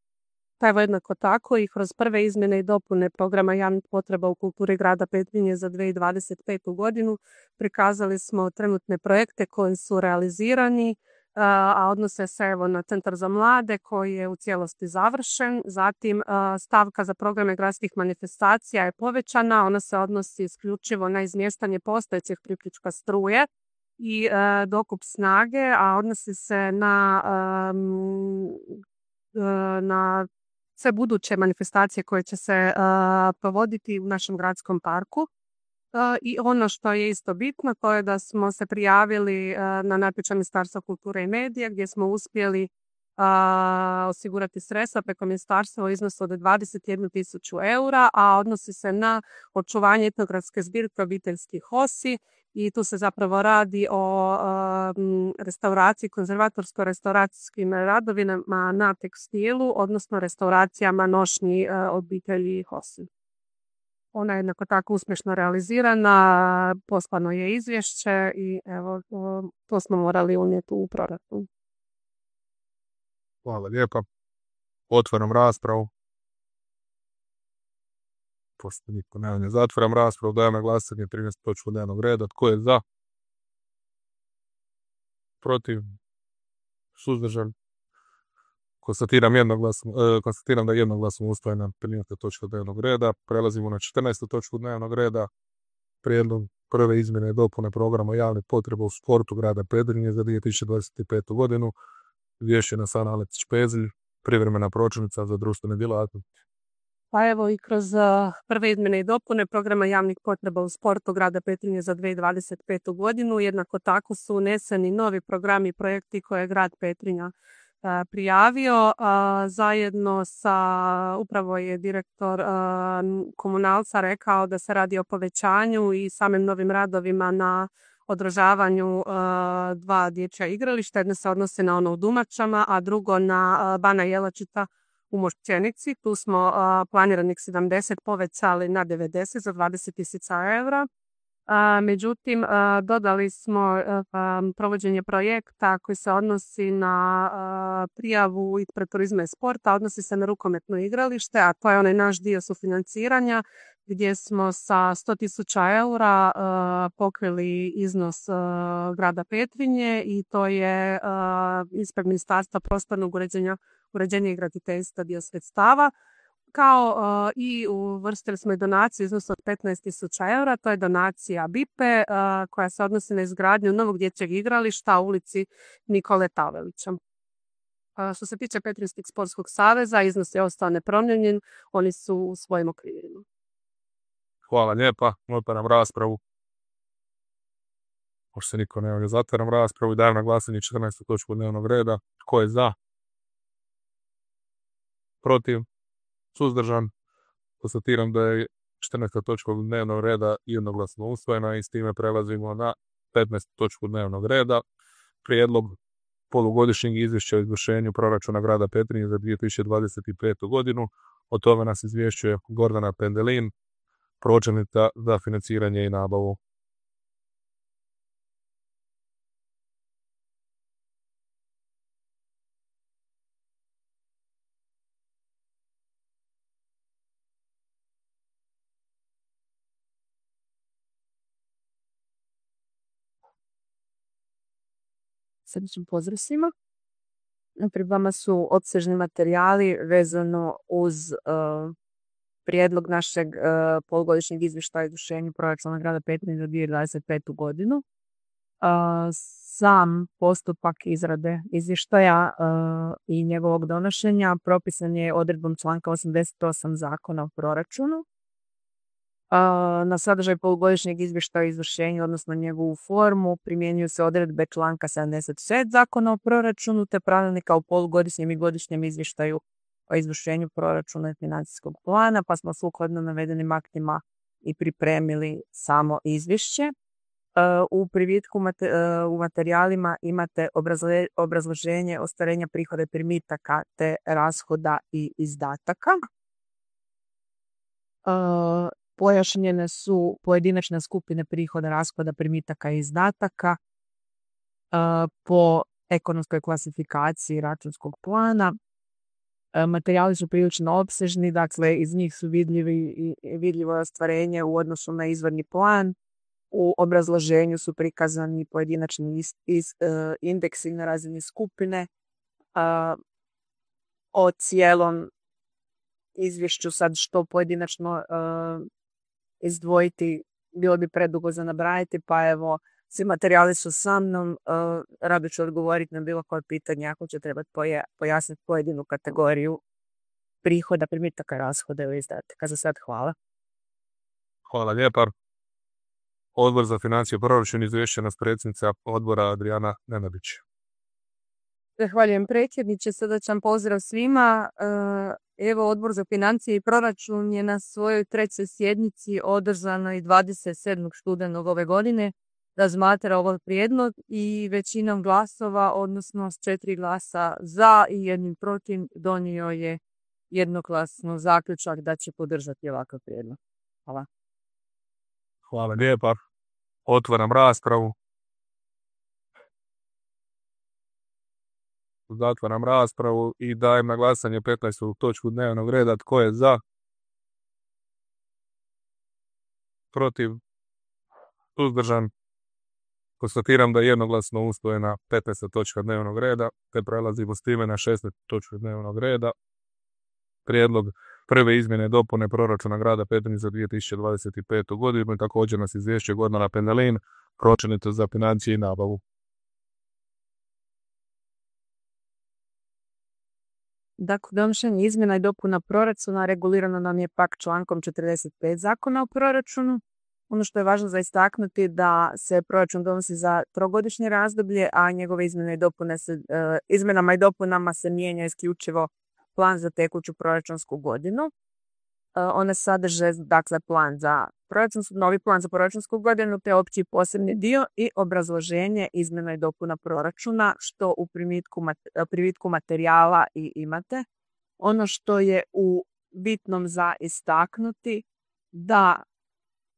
Pa evo jednako tako i kroz prve izmjene i dopune programa javnih potreba u kulturi grada Petrinje za dvije tisuće dvadeset petu. godinu prikazali smo trenutne projekte koji su realizirani, a odnose se evo na Centar za mlade koji je u cijelosti završen. Zatim stavka za programe gradskih manifestacija je povećana, ona se odnosi isključivo na izmještanje postojećeg priključka struje i dokup snage, a odnosi se na, na sve buduće manifestacije koje će se provoditi u našem gradskom parku. I ono što je isto bitno, to je da smo se prijavili na natječaj Ministarstva kulture i medija gdje smo uspjeli osigurati sredstva preko ministarstva u iznosu od dvadeset jednu tisuću eura, a odnosi se na očuvanje etnografske zbirke obiteljskih hosi i tu se zapravo radi o restauraciji, konzervatorsko-restauracijskim radovima na tekstilu, odnosno restauracijama nošnji obitelji hosi. Ona je jednako tako uspješno realizirana, poslano je izvješće i evo, to smo morali unijeti u proračun. Hvala lijepa. Otvaram raspravu. Pošto niko ne javlja, zatvaram raspravu, dajem na glasanje trinaestu točku dnevnog reda. Tko je za? Protiv? Suzdržan? Konstatiram, jednoglasno, eh, konstatiram da je jednoglasno usvojena trinaesta točka dnevnog reda. Prelazimo na četrnaestu točku dnevnog reda. Prijedlog prve izmjene i dopune programa javnih potreba u sportu grada Petrinje za dvije tisuće dvadeset petu. godinu. Izvješće nas Ana Lekić-Pezelj, privremena pročelnica za društvene djelatnosti. Pa evo i kroz uh, prve izmjene i dopune programa javnih potreba u sportu grada Petrinje za dvije tisuće dvadeset petu. godinu. Jednako tako su uneseni novi programi i projekti koje je grad Petrinja uh, prijavio. Uh, zajedno sa, upravo je direktor uh, komunalca rekao da se radi o povećanju i samim novim radovima na održavanju uh, dva dječja igrališta. Jedno se odnose na ono u Dumačama, a drugo na uh, Bana Jelačića u Mošćenici. Tu smo uh, planiranih sedamdeset povećali na devedeset za dvadeset tisuća eura. Uh, međutim, uh, dodali smo uh, um, provođenje projekta koji se odnosi na uh, prijavu ispred turizma i sporta, odnosi se na rukometno igralište, a to je onaj naš dio sufinanciranja gdje smo sa sto tisuća eura uh, pokrili iznos uh, grada Petrinje i to je uh, ispred Ministarstva prostornog uređenja, uređenja i graditeljstva dio sredstava. Kao uh, i uvrstili smo i donaciju iznos od petnaest tisuća eura, to je donacija B I P E uh, koja se odnosi na izgradnju novog dječjeg igrališta u ulici Nikole Tavelića. Uh, što se tiče Petrinjskog sportskog saveza, iznos je ostao nepromijenjen, oni su u svojim okvirima. Hvala lijepa, otvaram raspravu. Možda se niko ne javlja, zatvaram raspravu i dajem na glasanje četrnaestu točku dnevnog reda. Tko je za? Protiv? Suzdržan? Konstatiram da je četrnaesta točka dnevnog reda jednoglasno usvojena i s time prelazimo na petnaestu točku dnevnog reda. Prijedlog polugodišnjeg izvješća o izvršenju proračuna grada Petrinje za dvije tisuće dvadeset petu. godinu. O tome nas izvješćuje Gordana Pendelin, pročelnica za financiranje i nabavu. Srdačan pozdrav svima. Pred vama su opsežni materijali vezano uz uh, prijedlog našeg uh, polugodišnjeg izvještaja o izvršenju proračuna grada Petrinje za dvije tisuće dvadeset petu. godinu. Uh, sam postupak izrade izvještaja uh, i njegovog donošenja propisan je odredbom članka osamdeset osam Zakona o proračunu. Na sadržaj polugodišnjeg izvještaja o izvršenju, odnosno njegovu formu, primjenjuju se odredbe članka sedamdeset šest Zakona o proračunu te pravilnika o polugodišnjem i godišnjem izvještaju o izvršenju proračuna i financijskog plana, pa smo sukladno navedenim aktima i pripremili samo izvješće. U privitku u materijalima imate obrazloženje ostvarenja prihoda i primitaka te rashoda i izdataka. Pojašnjene su pojedinačne skupine prihoda, rashoda, primitaka i izdataka po ekonomskoj klasifikaciji računskog plana. Materijali su prilično opsežni, dakle iz njih su vidljivi, vidljivo ostvarenje u odnosu na izvorni plan. U obrazloženju su prikazani pojedinačni is, is, uh, indeksi na razini skupine. Uh, o cijelom izvješću sad što pojedinačno uh, izdvojiti bilo bi predugo za nabrajati, pa evo, svi materijali su sa mnom, uh, rado ću odgovoriti na bilo koje pitanje ako će trebati poja, pojasniti pojedinu kategoriju prihoda, primitaka, rashoda ili izdataka. Za sad hvala. Hvala lijepa. Odbor za financije i proračun, izvješće nas predsjednica odbora Adrijana Nenabić. Zahvaljujem predsjedniče, srdačan pozdrav svima. Evo, Odbor za financije i proračun je na svojoj trećoj sjednici održanoj dvadeset sedmog studenog ove godine razmatra ovaj prijedlog i većinom glasova, odnosno s četiri glasa za i jednim protiv, donio je jednoglasno zaključak da će podržati ovakav prijedlog. Hvala. Hvala lijepa. Otvaram raspravu. Zatvaram raspravu i dajem na glasanje petnaestu točku dnevnog reda. Tko je za? Protiv? Suzdržan? Konstatiram da je jednoglasno usvojena petnaesta točka dnevnog reda, te prelazimo s time na šesnaestu točku dnevnog reda. Prijedlog prve izmjene dopune proračuna grada Petrinje za dvije tisuće dvadeset petu. godinu. Također nas izvješće Gordana Pendelin, pročelnica za financije i nabavu. Dakle, donošenje izmjena i dopuna proračuna regulirano nam je pak člankom četrdeset pet Zakona o proračunu. Ono što je važno za istaknuti da se proračun donosi za trogodišnje razdoblje, a njegove izmjene i dopune se, e, izmjenama i dopunama se mijenja isključivo plan za tekuću proračunsku godinu. E, one sadrže dakle plan za proračunsku, novi plan za proračunsku godinu te opći i posebni dio i obrazloženje izmjena i dopuna proračuna što u primitku, privitku materijala i imate. Ono što je u bitnom za istaknuti da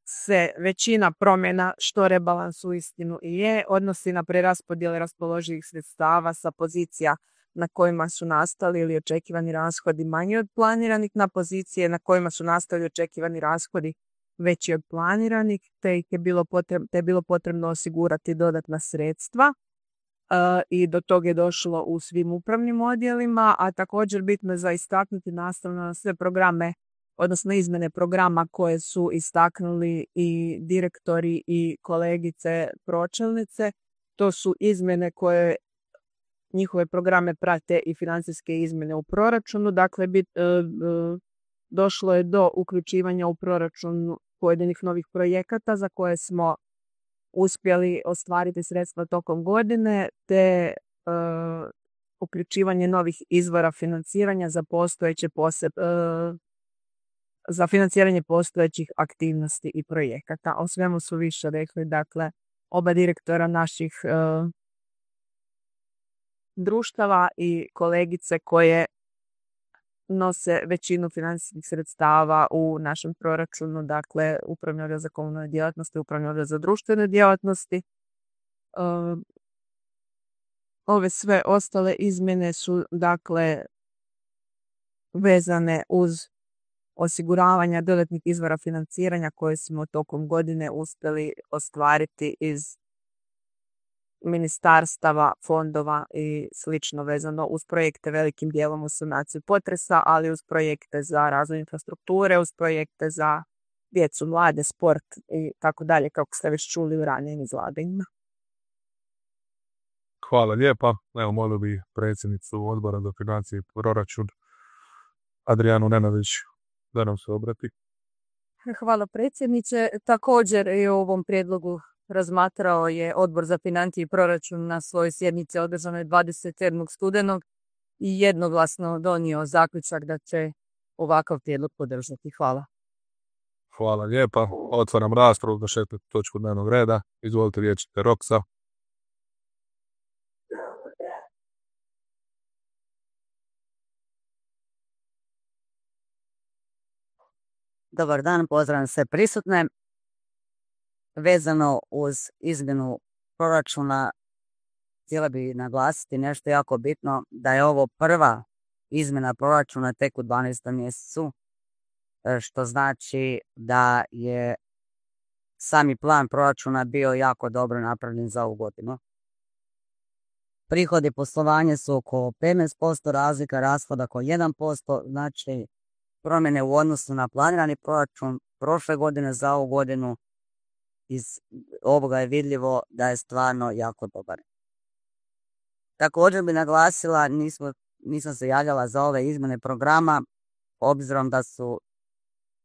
se većina promjena što rebalans uistinu i je odnosi na preraspodjele raspoloživih sredstava sa pozicija na kojima su nastali ili očekivani rashodi manji od planiranih na pozicije na kojima su nastali očekivani rashodi veći od planiranih, te ih je bilo potrebno, te je bilo potrebno osigurati dodatna sredstva uh, i do toga je došlo u svim upravnim odjelima, a također bitno je za istaknuti nastavno na sve programe, odnosno izmjene programa koje su istaknuli i direktori i kolegice pročelnice. To su izmjene koje njihove programe prate i financijske izmjene u proračunu. Dakle, bit, e, e, došlo je do uključivanja u proračun pojedinih novih projekata za koje smo uspjeli ostvariti sredstva tokom godine, te e, uključivanje novih izvora financiranja za postojeće poseb, e, za financiranje postojećih aktivnosti i projekata. O svemu su više rekli, dakle, oba direktora naših e, društava i kolegice koje nose većinu financijskih sredstava u našem proračunu, dakle, Upravni odjel za komunalne djelatnosti, Upravni odjel za društvene djelatnosti. E, ove sve ostale izmjene su, dakle, vezane uz osiguravanja dodatnih izvora financiranja koje smo tokom godine uspjeli ostvariti iz ministarstava, fondova i slično vezano uz projekte velikim dijelom u sanaciju potresa, ali uz projekte za razvoj infrastrukture, uz projekte za djecu, mlade, sport i tako dalje, kako ste već čuli u ranijim izlaganjima. Hvala lijepa. Evo, molio bi predsjednicu Odbora za financije i proračun Adrijanu Nenavić da nam se obrati. Hvala predsjedniče. Također i o ovom prijedlogu razmatrao je Odbor za financije i proračun na svojoj sjednici održanoj dvadeset sedmog studenog i jednoglasno donio zaključak da će ovakav prijedlog podržati. Hvala. Hvala lijepa. Otvaram raspravu za šestu točku dnevnog reda. Izvolite, riječ je Roksa. Dobar dan, pozdravljam sve prisutne. Vezano uz izmjenu proračuna, htjela bi naglasiti nešto jako bitno, da je ovo prva izmjena proračuna tek u dvanaestom mjesecu, što znači da je sami plan proračuna bio jako dobro napravljen za ovu godinu. Prihodi poslovanja su oko petnaest posto, razlika rashoda oko jedan posto, znači promjene u odnosu na planirani proračun prošle godine za ovu godinu. Iz ovoga je vidljivo da je stvarno jako dobar. Također bi naglasila, nismo, nisam se javljala za ove izmjene programa, obzirom da su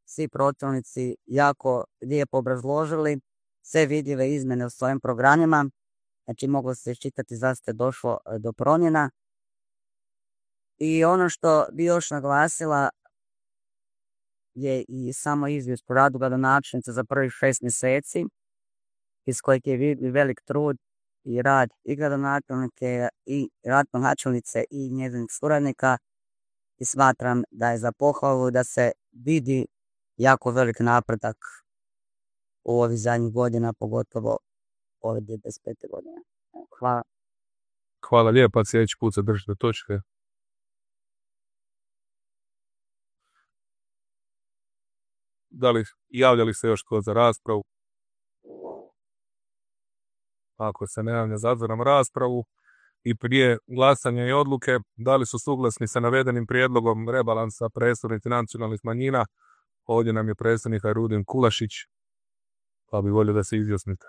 svi pročelnici jako lijepo obrazložili sve vidljive izmjene u svojim programima, znači moglo se iščitati zašto je došlo do promjena. I ono što bi još naglasila je i samo izvješće po radu gradonačelnice za prvih šest mjeseci, iz kojeg je vidljiv velik trud i rad i gradonačelnike i gradonačelnice i njezinih suradnika, i smatram da je za pohvalu da se vidi jako velik napredak u ovih zadnjih godina, pogotovo ove dvije tisuće dvadeset pete godine. Hvala. Hvala lijepa, sljedeći put se držite točke. Da li javljali se još tko za raspravu? Ako se ne javlja, zatvaram raspravu. I prije glasanja i odluke, da li su suglasni sa navedenim prijedlogom rebalansa predstavnici nacionalnih manjina? Ovdje nam je predstavnik Rudin Kulašić, pa bi volio da se izjasnite.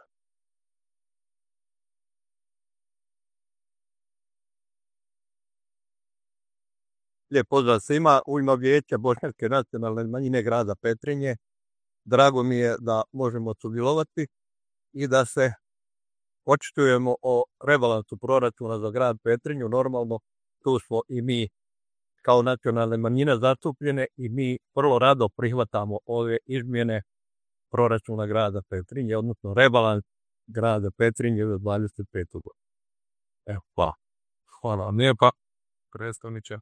Lijep pozdrav svima. U ime Vijeća bošnjačke nacionalne manjine grada Petrinje, drago mi je da možemo sudjelovati i da se očitujemo o rebalansu proračuna za grad Petrinju. Normalno, tu smo i mi kao nacionalne manjine zastupljene i mi vrlo rado prihvatamo ove izmjene proračuna grada Petrinje, odnosno rebalans grada Petrinje za dvadeset petu godinu. Evo, hvala. Hvala vam lijepa, predstavniče.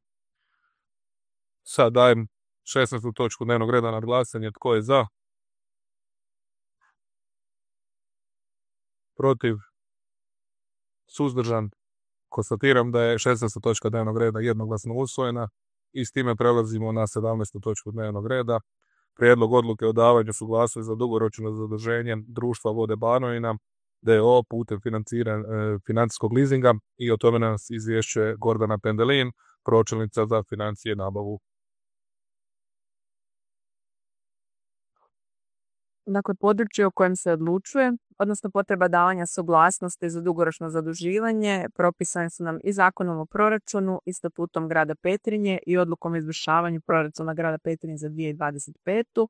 Sad dajem šesnaestu točku dnevnog reda na glasanje. Tko je za? Protiv? Suzdržan? Konstatiram da je šesnaesta točka dnevnog reda jednoglasno usvojena i s time prelazimo na sedamnaestu točku dnevnog reda. Prijedlog odluke o davanju suglasnosti za dugoročno zaduženje društva Vode Banovina d o o putem financiran, e, financijskog leasinga, i o tome nas izvješćuje Gordana Pendelin, pročelnica za financije i nabavu. Dakle, područje o kojem se odlučuje, odnosno potreba davanja suglasnosti za dugoročno zaduživanje, propisane su nam i Zakonom o proračunu i Statutom grada Petrinje i Odlukom o izvršavanju proračuna grada Petrinje za dvije tisuće dvadeset petu.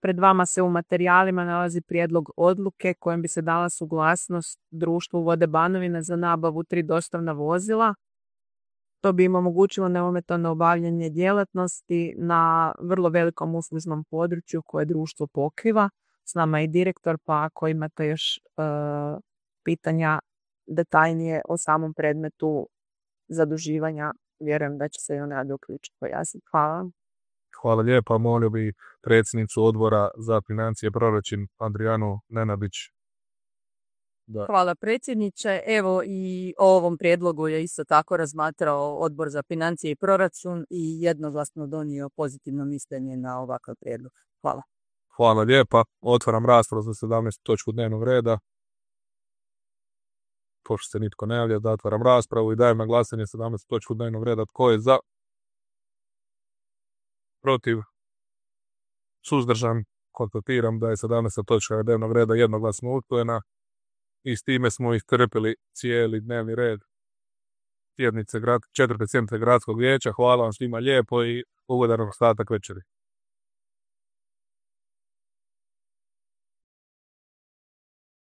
Pred vama se u materijalima nalazi prijedlog odluke kojim bi se dala suglasnost društvu Vode Banovina za nabavu tri dostavna vozila. To bi im omogućilo neometano obavljanje djelatnosti na vrlo velikom uslužnom području koje društvo pokriva. S nama je i direktor, pa ako imate još uh, pitanja detaljnije o samom predmetu zaduživanja, vjerujem da će se i ona uključiti pojasniti. Hvala. Hvala lijepa. Molio bi predsjednicu odbora za financije i proračun Adrijanu Nenabić. Da. Hvala predsjedniče. Evo i o ovom prijedlogu je isto tako razmatrao Odbor za financije i proračun i jednoglasno donio pozitivno mišljenje na ovakav prijedlog. Hvala. Hvala lijepa. Otvaram raspravu za sedamnaestu točku dnevnog reda. Pošto se nitko ne javlja, da otvaram raspravu i dajem na glasanje sedamnaestu točku dnevnog reda. Tko je za? Protiv? Suzdržan? Konstatiram da je sedamnaesta točka dnevnog reda jednoglasno usvojena. I s time smo iscrpili cijeli dnevni red sjednice grad, četvrte sjednice gradskog vijeća. Hvala vam svima lijepo i ugodan ostatak večeri.